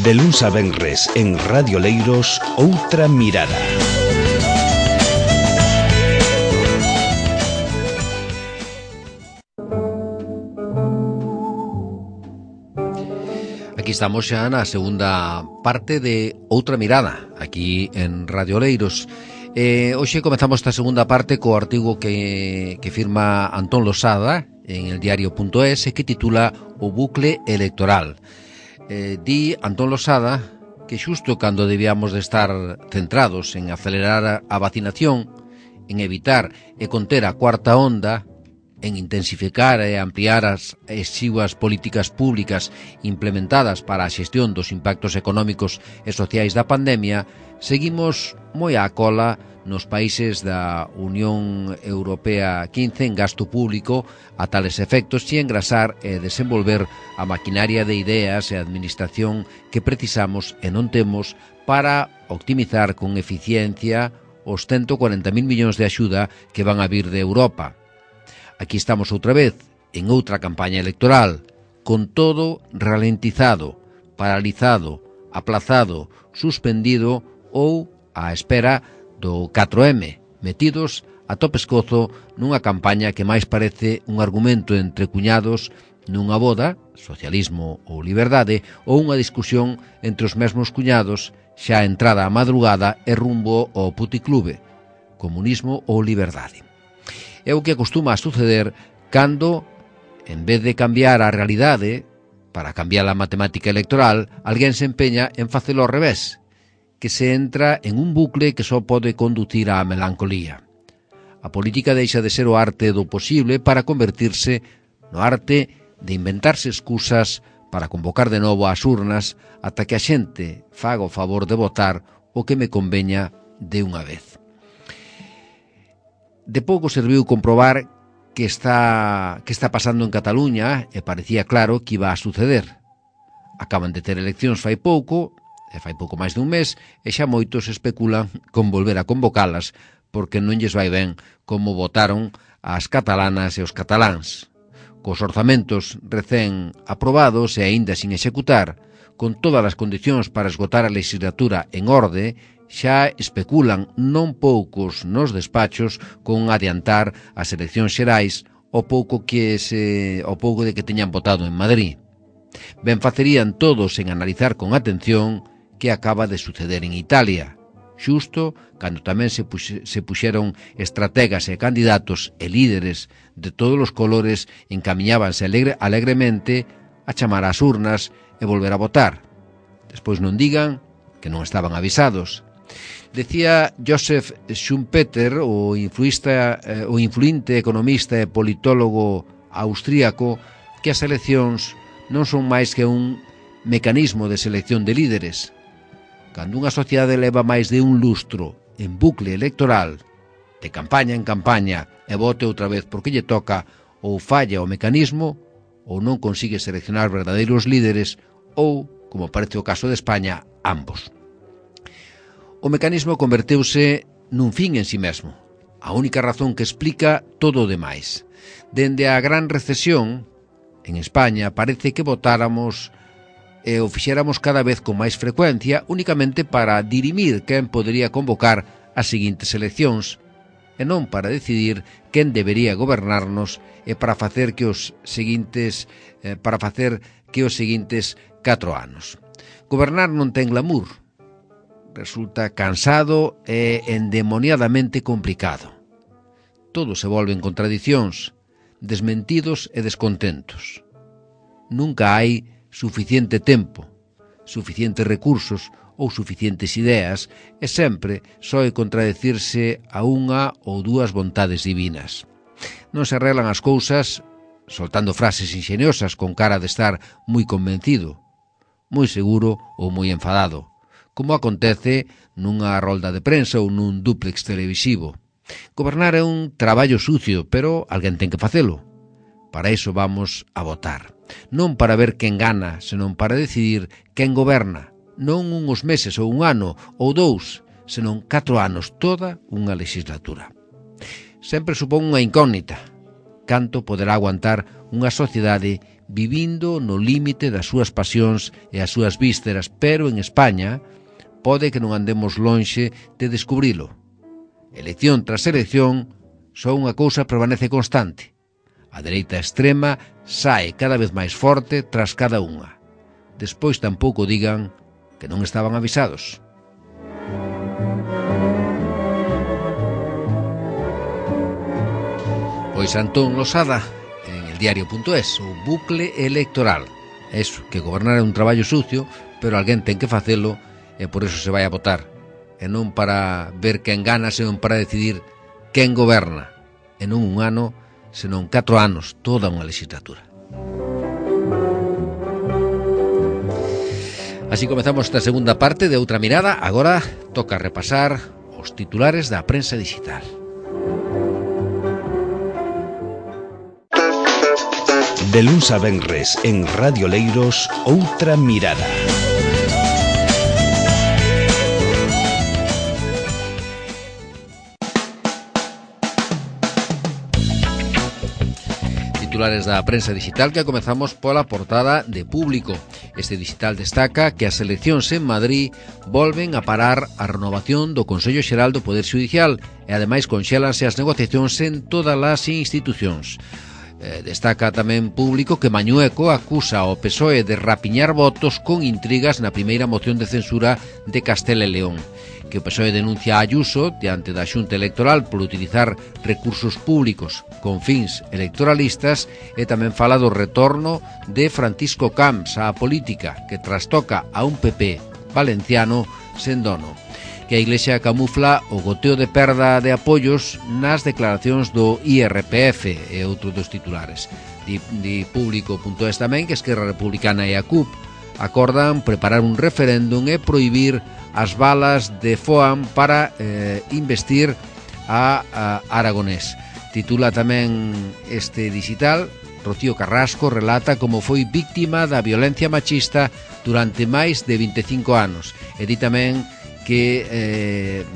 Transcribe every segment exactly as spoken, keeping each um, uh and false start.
De luns a venres en Radio Leiros, Outra Mirada. Aquí estamos xa na segunda parte de Outra Mirada, aquí en Radio Leiros. Eh, hoxe comezamos esta segunda parte co artigo que, que firma Antón Losada en el diario.es que titula O bucle electoral. Eh, di Antón Losada que xusto cando debíamos de estar centrados en acelerar a vacinación, en evitar e conter a cuarta onda, en intensificar e ampliar as exiguas políticas públicas implementadas para a xestión dos impactos económicos e sociais da pandemia, seguimos moi á cola nos países da Unión Europea quince en gasto público a tales efectos e engrasar e desenvolver a maquinaria de ideas e administración que precisamos e non temos para optimizar con eficiencia os ciento cuarenta mil millóns de axuda que van a vir de Europa. Aquí estamos outra vez, en outra campaña electoral, con todo ralentizado, paralizado, aplazado, suspendido ou á espera do catro eme, metidos a topescozo nunha campaña que máis parece un argumento entre cuñados nunha boda, socialismo ou liberdade, ou unha discusión entre os mesmos cuñados xa entrada a madrugada e rumbo ao puticlube, comunismo ou liberdade. É o que acostuma a suceder cando, en vez de cambiar a realidade, para cambiar a matemática electoral, alguén se empeña en facelo ao revés, que se entra en un bucle que só pode conducir á melancolía. A política deixa de ser o arte do posible para convertirse no arte de inventarse excusas para convocar de novo ás urnas ata que a xente faga o favor de votar o que me conveña de unha vez. De pouco serviu comprobar que está, que está pasando en Cataluña e parecía claro que iba a suceder. Acaban de ter eleccións fai pouco, e fai pouco máis dun mes, e xa moitos especulan con volver a convocalas porque non lles vai ben como votaron as catalanas e os cataláns. Cos orzamentos recén aprobados e aínda sin executar, con todas as condicións para esgotar a legislatura en orde, xa especulan non poucos nos despachos con adiantar as eleccións xerais o pouco que se o pouco de que teñan votado en Madrid. Ben facerían todos en analizar con atención que acaba de suceder en Italia, xusto cando tamén se, puxe, se puxeron estrategas e candidatos e líderes de todos os colores encamiñábanse alegre, alegremente a chamar ás urnas e volver a votar. Despois non digan que non estaban avisados. Decía Joseph Schumpeter, o, influista, eh, o influinte economista e politólogo austríaco, que as eleccións non son máis que un mecanismo de selección de líderes. Cando unha sociedade leva máis de un lustro en bucle electoral, de campaña en campaña, e vote outra vez porque lle toca, ou falla o mecanismo, ou non consigue seleccionar verdadeiros líderes, ou, como parece o caso de España, ambos. O mecanismo converteuse nun fin en si mesmo, a única razón que explica todo o demais. Dende a gran recesión, en España parece que votáramos e o fixéramos cada vez con máis frecuencia únicamente para dirimir quen podería convocar as seguintes eleccións e non para decidir quen debería gobernarnos e para facer que os seguintes eh, para facer que os seguintes catro anos. Gobernar non ten glamour. Resulta cansado e endemoniadamente complicado. Todo se volve en contradicións, desmentidos e descontentos. Nunca hai suficiente tempo, suficientes recursos ou suficientes ideas e sempre soe contradecirse a unha ou dúas vontades divinas. Non se arreglan as cousas soltando frases ingeniosas con cara de estar moi convencido, moi seguro ou moi enfadado, como acontece nunha rolda de prensa ou nun dúplex televisivo. Gobernar é un traballo sucio, pero alguén ten que facelo. Para iso vamos a votar. Non para ver quen gana, senón para decidir quen goberna. Non uns meses ou un ano ou dous, senón catro anos, toda unha legislatura. Sempre supón unha incógnita. Canto poderá aguantar unha sociedade vivindo no límite das súas pasións e as súas vísceras, pero en España pode que non andemos lonxe de descubrilo. Elección tras elección, só unha cousa permanece constante. A dereita extrema sae cada vez máis forte tras cada unha. Despois tampouco digan que non estaban avisados. Pois Antón Losada, en el diario punto es, o bucle electoral. Eso, que gobernar é un traballo sucio, pero alguén ten que facelo e por eso se vai a votar. E non para ver quen gana, senón para decidir quen goberna. E non un ano, senón catro anos, toda unha legislatura. Así comezamos esta segunda parte de Outra Mirada. Agora toca repasar os titulares da prensa digital. De luns a venres en Radio Leiros, Outra Mirada. Titulares da prensa digital, que comezamos pola portada de Público. Este digital destaca que as eleccións en Madrid volven a parar a renovación do Consello Xeral do Poder Xudicial e ademais conxélanse as negociacións en todas as institucións. Eh, destaca tamén Público que Mañueco acusa ao P S O E de rapiñar votos con intrigas na primeira moción de censura de Castela e León, que o P S O E denuncia a Ayuso diante da Xunta Electoral por utilizar recursos públicos con fins electoralistas, e tamén fala do retorno de Francisco Camps á política, que trastoca a un P P valenciano sen dono, que a Iglesia camufla o goteo de perda de apoios nas declaracións do I R P F e outro dos titulares. Di, di Público punto es tamén que Esquerra Republicana e a C U P acordan preparar un referéndum e prohibir as balas de Foam para eh, investir a, a Aragonés. Titula tamén este digital, Rocío Carrasco relata como foi víctima da violencia machista durante máis de vinte e cinco anos. E di tamén que eh,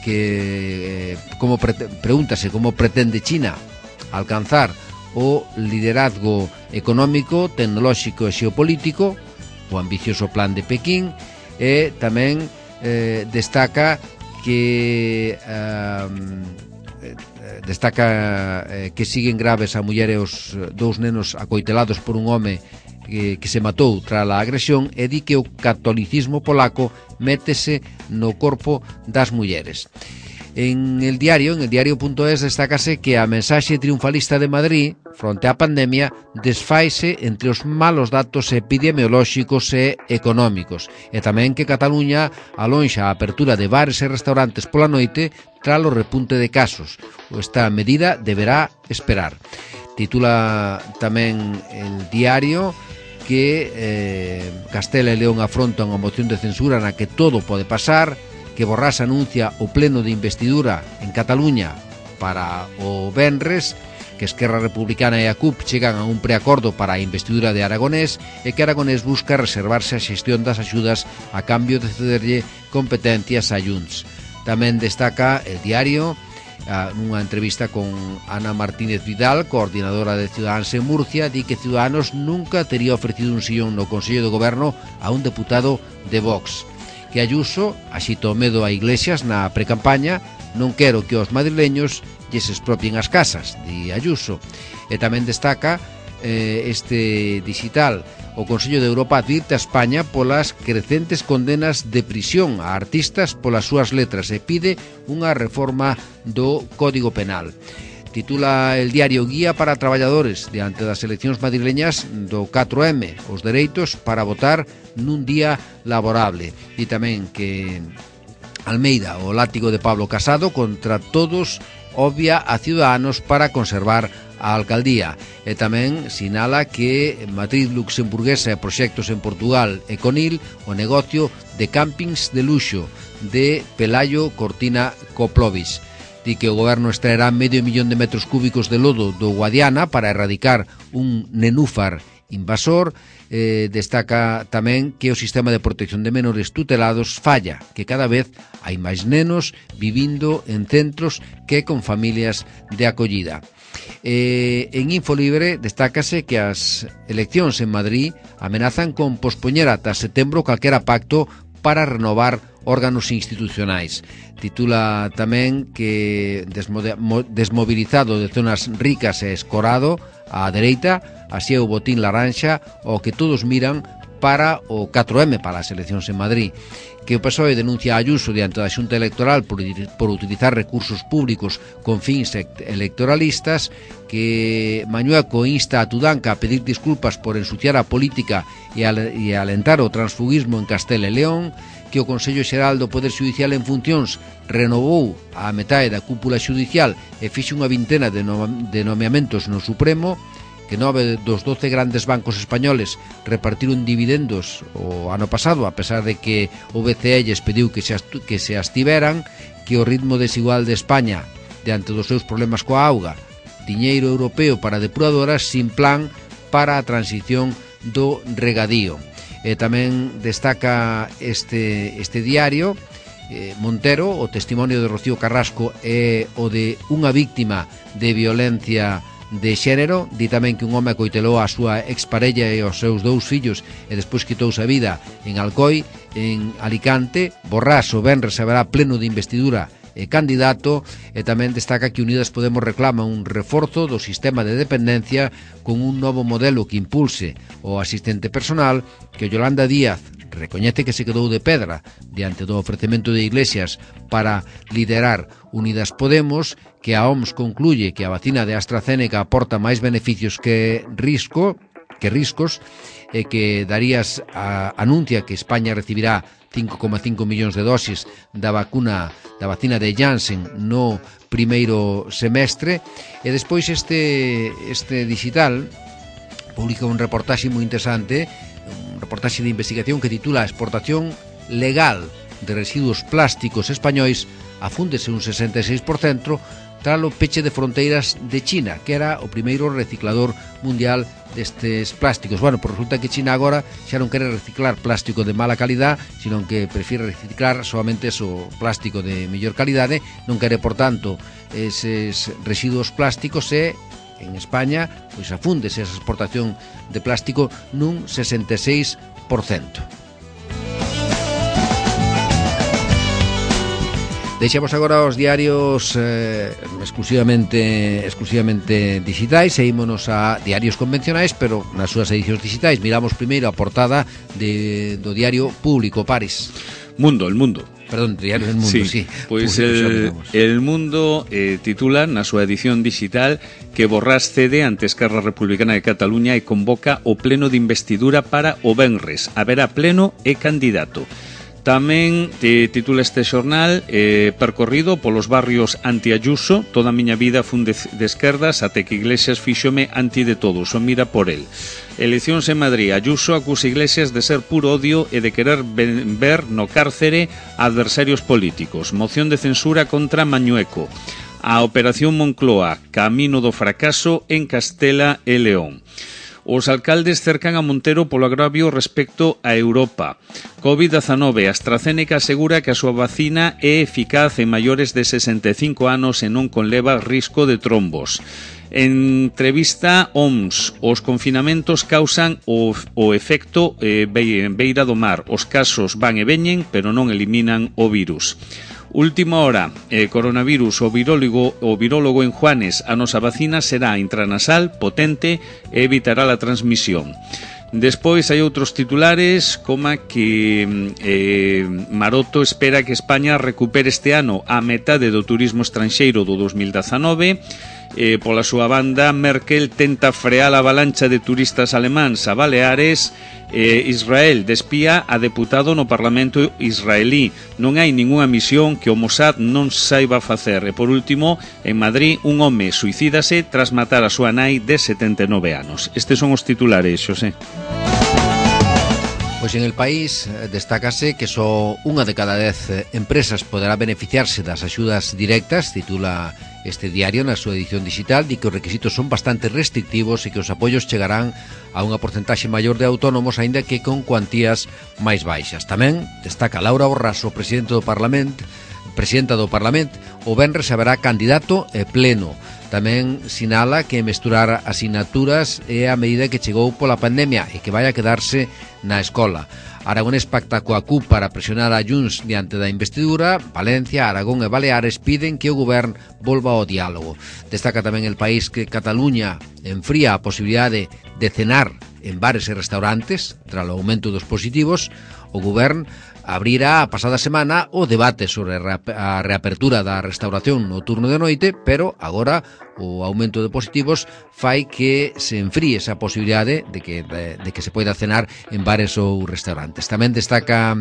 que eh, como pre pregúntase como pretende China alcanzar o liderazgo económico, tecnolóxico e xeopolítico, o ambicioso plan de Pekín. E tamén eh, destaca que eh, destaca eh, que siguen graves a muller e os dous nenos acoitelados por un home que, que se matou tras a agresión, e di que o catolicismo polaco métese no corpo das mulleres. En el diario, en el diario punto es, destácase que a mensaxe triunfalista de Madrid fronte á pandemia desfaise entre os malos datos epidemiolóxicos e económicos, e tamén que Cataluña alonxa a apertura de bares e restaurantes pola noite tras o repunte de casos. Esta medida deberá esperar. Titula tamén el diario que eh, Castela e León afrontan unha moción de censura na que todo pode pasar, que Borrás anuncia o pleno de investidura en Cataluña para o venres, que Esquerra Republicana e a C U P chegan a un preacordo para a investidura de Aragonés, e que Aragonés busca reservarse a xestión das axudas a cambio de cederlle competencias a Junts. Tamén destaca el diario nunha entrevista con Ana Martínez Vidal, coordinadora de Ciudadanos en Murcia, di que Ciudadanos nunca tería ofrecido un sillón no Consello de Goberno a un deputado de Vox. Que Ayuso axita o medo a Iglesias na precampaña, non quero que os madrileños lles expropien as casas, di Ayuso. E tamén destaca eh, este digital, o Consello de Europa advirte a España polas crecentes condenas de prisión a artistas polas súas letras e pide unha reforma do Código Penal. Titula el diario Guía para Traballadores diante das eleccións madrileñas do catro eme, os dereitos para votar nun día laborable. E tamén que Almeida, o látigo de Pablo Casado contra todos, obvia a Ciudadanos para conservar a alcaldía. E tamén sinala que Matriz Luxemburguesa e proxectos en Portugal e Conil o negocio de campings de luxo de Pelayo Cortina Coplovis. Di que o goberno extraerá medio millón de metros cúbicos de lodo do Guadiana para erradicar un nenúfar invasor. Eh, destaca tamén que o sistema de protección de menores tutelados falla, que cada vez hai máis nenos vivindo en centros que con familias de acollida. Eh, en Infolibre destácase que as eleccións en Madrid amenazan con pospoñer ata setembro calquera pacto para renovar órganos institucionais. Titula tamén que desmobilizado de zonas ricas e escorado á dereita, así é o botín laranxa o que todos miran para o catro eme, para as eleccións en Madrid. Que o P S O E denuncia a Ayuso diante da Xunta Electoral por, por utilizar recursos públicos con fins electoralistas, que Mañueco insta a Tudanca a pedir disculpas por ensuciar a política e, al, e alentar o transfugismo en Castela e León, que o Consello Xeral do Poder Xudicial en funcións renovou a metade da cúpula xudicial e fixe unha vintena de, no, de nomeamentos no Supremo, que nove dos doce grandes bancos españoles repartiron dividendos o ano pasado, a pesar de que o B C E lles pediu que se, que se abstiveran, que o ritmo desigual de España diante dos seus problemas coa auga, diñeiro europeo para depuradoras sin plan para a transición do regadío. E tamén destaca este, este diario eh, Montero, o testimonio de Rocío Carrasco é o de unha víctima de violencia de xénero. Di tamén que un home coitelou a súa exparella e os seus dous fillos e despois quitouse a vida en Alcoi, en Alicante. Borrás o venres haberá pleno de investidura e candidato. E tamén destaca que Unidas Podemos reclama un reforzo do sistema de dependencia con un novo modelo que impulse o asistente personal, que Yolanda Díaz recoñece que se quedou de pedra diante do ofrecemento de Iglesias para liderar Unidas Podemos, que a O M S concluye que a vacina de AstraZeneca aporta máis beneficios que risco, que riscos, e que Darías a, anuncia que España recibirá cinco coma cinco millóns de dosis da vacuna da vacina de Janssen no primeiro semestre. E despois este este digital publica un reportaxe moi interesante, un reportaxe de investigación que titula Exportación legal de residuos plásticos españois afúndese un sesenta e seis por cento tras o peche de fronteiras de China, que era o primeiro reciclador mundial destes plásticos. Bueno, pues resulta que China agora xa non quere reciclar plástico de mala calidad, sino que prefire reciclar solamente o plástico de mellor calidade, non quere, por tanto, eses residuos plásticos, e en España pois afúndese esa exportación de plástico nun sesenta e seis por cento. Deixamos agora os diarios eh, exclusivamente exclusivamente digitais e ímonos a diarios convencionais, pero nas súas edicións digitais. Miramos primeiro a portada de, do diario Público, Paris. Mundo, El Mundo. Perdón, Diario del Mundo, sí. sí. Pois el, el Mundo eh, titula na súa edición digital que Borrás cede ante Esquerra Republicana de Cataluña e convoca o pleno de investidura para o venres. Haberá pleno e candidato. Tamén te titula este xornal eh, percorrido polos barrios anti-Ayuso, toda a miña vida fun de, de esquerdas até que Iglesias fíxome anti de todos, o mira por el. Eleccións en Madrid, Ayuso acusa Iglesias de ser puro odio e de querer ver no cárcere a adversarios políticos. Moción de censura contra Mañueco. A Operación Moncloa, camino do fracaso en Castela e León. Os alcaldes cercan a Montero polo agravio respecto a Europa. covid diecinueve, AstraZeneca asegura que a súa vacina é eficaz en maiores de sesenta e cinco anos e non conleva risco de trombos. Entrevista O M S. Os confinamentos causan o, o efecto eh, beira do mar. Os casos van e veñen, pero non eliminan o virus. Última hora, eh, coronavirus, o virólogo, o virólogo en Juanes, a nosa vacina será intranasal, potente e evitará a transmisión. Despois hai outros titulares, como que eh, Maroto espera que España recupere este ano a metade do turismo estranxeiro do dos mil dezanove. Eh, pola súa banda, Merkel tenta frear a avalancha de turistas alemáns a Baleares. Eh, Israel despía a deputado no Parlamento israelí. Non hai ningunha misión que o Mossad non saiba facer. E por último, en Madrid, un home suicídase tras matar a súa nai de setenta e nove anos. Estes son os titulares, Xosé. Pois en el país destácase que só unha de cada dez empresas poderá beneficiarse das axudas directas, titula este diario na súa edición digital, di que os requisitos son bastante restrictivos e que os apoios chegarán a unha porcentaxe maior de autónomos, aínda que con cuantías máis baixas. Tamén destaca Laura Borraso, presidente do Parlamento, presidenta do Parlamento, o venres haberá candidato e pleno. Tamén sinala que mesturar asignaturas é a medida que chegou pola pandemia e que vai a quedarse na escola. Aragonés pacta coa C U P para presionar a Junts diante da investidura. Valencia, Aragón e Baleares piden que o Govern volva ao diálogo. Destaca tamén El País que Cataluña enfría a posibilidade de cenar en bares e restaurantes tras o aumento dos positivos. O Govern abrirá a pasada semana o debate sobre a reapertura da restauración no turno de noite, pero agora o aumento de positivos fai que se enfríe esa posibilidade de que, de, de que se poida cenar en bares ou restaurantes. Tamén destaca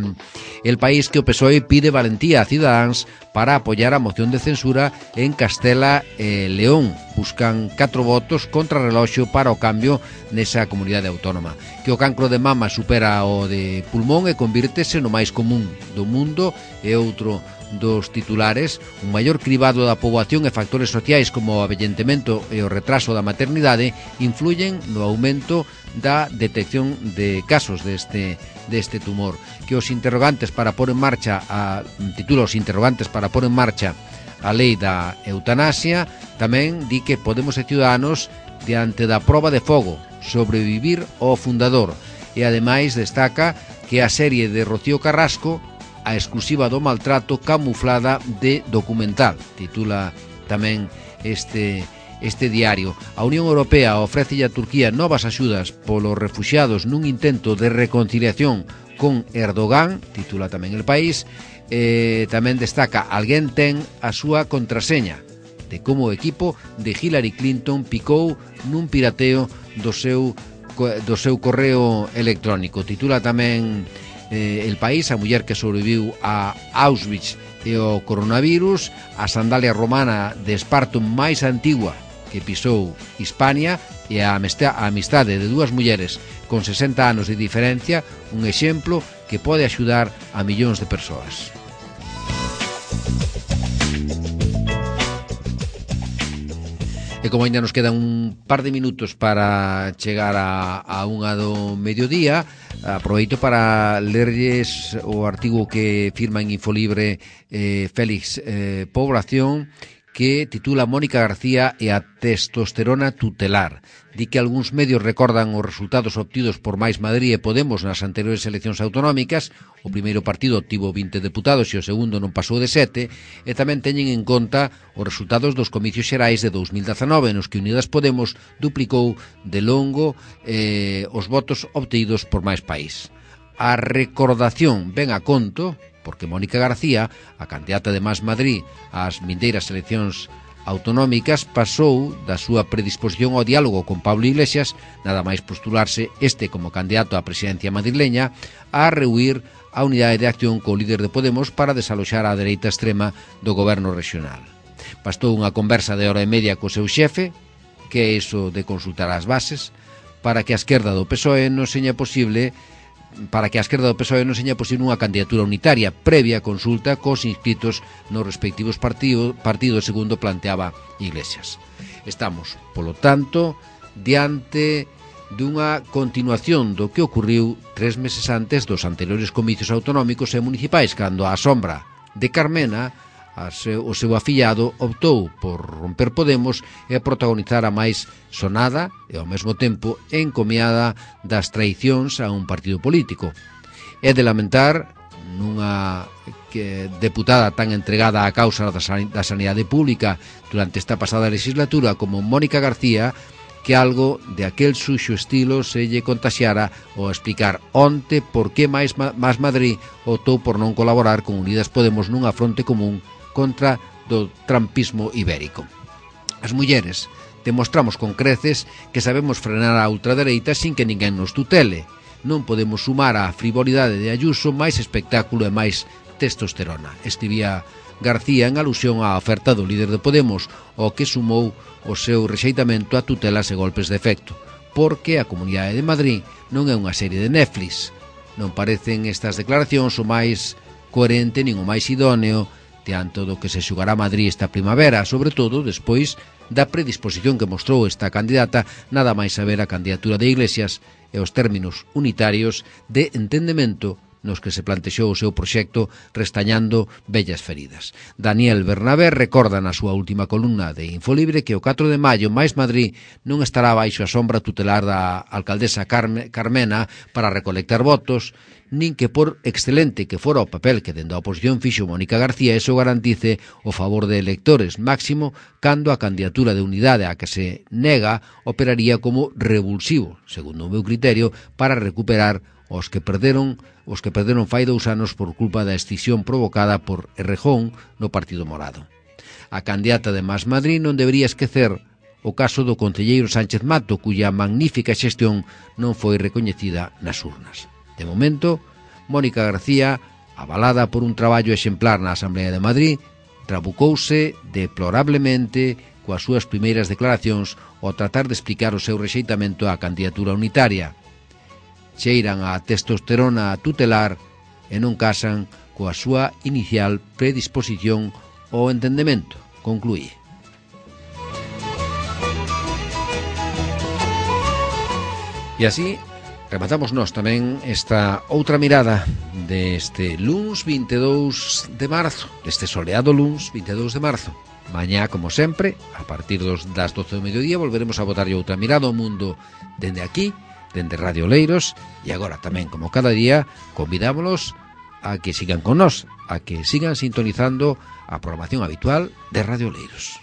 El País que o P S O E pide valentía a Cidadáns para apoiar a moción de censura en Castela e León. Buscan catro votos contra reloxo para o cambio nesa comunidade autónoma. Que o cancro de mama supera o de pulmón e convírtese no máis común do mundo é outro dos titulares. Un maior cribado da poboación e factores sociais como o avellentamento e o retraso da maternidade influyen no aumento da detección de casos deste, deste tumor. Que os interrogantes para pôr en marcha a, titula os interrogantes para pôr en marcha a lei da eutanasia. Tamén di que Podemos e Ciudadanos diante da proba de fogo, sobrevivir ao fundador. E ademais destaca que a serie de Rocío Carrasco, a exclusiva do maltrato camuflada de documental, titula tamén este, este diario. A Unión Europea ofrece a Turquía novas axudas polos refuxiados nun intento de reconciliación con Erdogan, titula tamén El País. Eh, tamén destaca alguén ten a súa contraseña de como o equipo de Hillary Clinton picou nun pirateo do seu, do seu correo electrónico. Titula tamén eh, El País, a muller que sobreviviu a Auschwitz e o coronavirus, a sandalia romana de Esparto máis antigua que pisou Hispania e a amistade de dúas mulleres con sesenta anos de diferencia, un exemplo que pode axudar a millóns de persoas. E como ainda nos quedan un par de minutos para chegar a, a unha do mediodía, aproveito para lerlles o artigo que firma en Infolibre eh, Félix eh, Población, que titula Mónica García e a testosterona tutelar. Di que algúns medios recordan os resultados obtidos por Mais Madrid e Podemos nas anteriores eleccións autonómicas. O primeiro partido obtivo vinte deputados e o segundo non pasou de sete, e tamén teñen en conta os resultados dos comicios xerais de dous mil dezanove, nos que Unidas Podemos duplicou de longo eh, os votos obtidos por Mais País. A recordación ven a conto porque Mónica García, a candidata de Más Madrid ás vindeiras eleccións autonómicas, pasou da súa predisposición ao diálogo con Pablo Iglesias, nada máis postularse este como candidato á presidencia madrileña, a rehuir a unidade de acción co líder de Podemos para desaloxar a dereita extrema do goberno regional. Bastou unha conversa de hora e media co seu xefe, que é iso de consultar as bases, para que a esquerda do P S O E non seña posible para que a esquerda do P S O E non seña posible unha candidatura unitaria previa consulta cos inscritos nos respectivos partido, partidos, segundo planteaba Iglesias. Estamos, polo tanto, diante dunha continuación do que ocurriu tres meses antes dos anteriores comicios autonómicos e municipais, cando a sombra de Carmena, a seu, o seu afillado, optou por romper Podemos e protagonizar a máis sonada e ao mesmo tempo encomiada das traicións a un partido político. É de lamentar nunha que deputada tan entregada á causa da sanidade pública durante esta pasada legislatura como Mónica García, que algo de aquel suxo estilo se lle contaxiara ao explicar onte por que máis Más Madrid optou por non colaborar con Unidas Podemos nunha fronte común contra do trampismo ibérico. As mulleres demostramos con creces que sabemos frenar a ultradereita sin que ninguén nos tutele. Non podemos sumar á frivolidade de Ayuso máis espectáculo e máis testosterona, escribía García en alusión á oferta do líder de Podemos, ao que sumou o seu rexeitamento a tutelas e golpes de efecto, porque a Comunidade de Madrid non é unha serie de Netflix. non parecen estas declaracións o máis coherente nin o máis idóneo diante do que se xugará Madrid esta primavera, sobre todo despois da predisposición que mostrou esta candidata, nada máis saber a candidatura de Iglesias e os términos unitarios de entendemento nos que se plantexou o seu proxecto restañando vellas feridas. Daniel Bernabé recorda na súa última columna de Infolibre que o catro de maio máis Madrid non estará baixo a sombra tutelar da alcaldesa Carme, Carmena para recolectar votos, nin que por excelente que fora o papel que dende a oposición fixo Mónica García eso garantice o favor de electores, máximo cando a candidatura de unidade a que se nega operaría como revulsivo, segundo o meu criterio, para recuperar os que perderon os que perderon fai dous anos por culpa da escisión provocada por Errejón no Partido Morado. A candidata de Más Madrid non debería esquecer o caso do concelleiro Sánchez Mato, cuya magnífica xestión non foi recoñecida nas urnas. De momento, Mónica García, avalada por un traballo exemplar na Asamblea de Madrid, trabucouse deplorablemente coas súas primeiras declaracións ao tratar de explicar o seu rexeitamento á candidatura unitaria. Cheiran a testosterona tutelar e non casan coa súa inicial predisposición ao entendemento, concluí. E así rematamos nós tamén esta outra mirada deste luns vinte e dous de marzo, deste soleado luns vinte e dous de marzo. Mañá, como sempre, a partir dos, das doce do mediodía, volveremos a botarlle outra mirada ao mundo dende aquí, dende Radio Leiros, e agora tamén, como cada día, convidámolos a que sigan con nós, a que sigan sintonizando a programación habitual de Radio Leiros.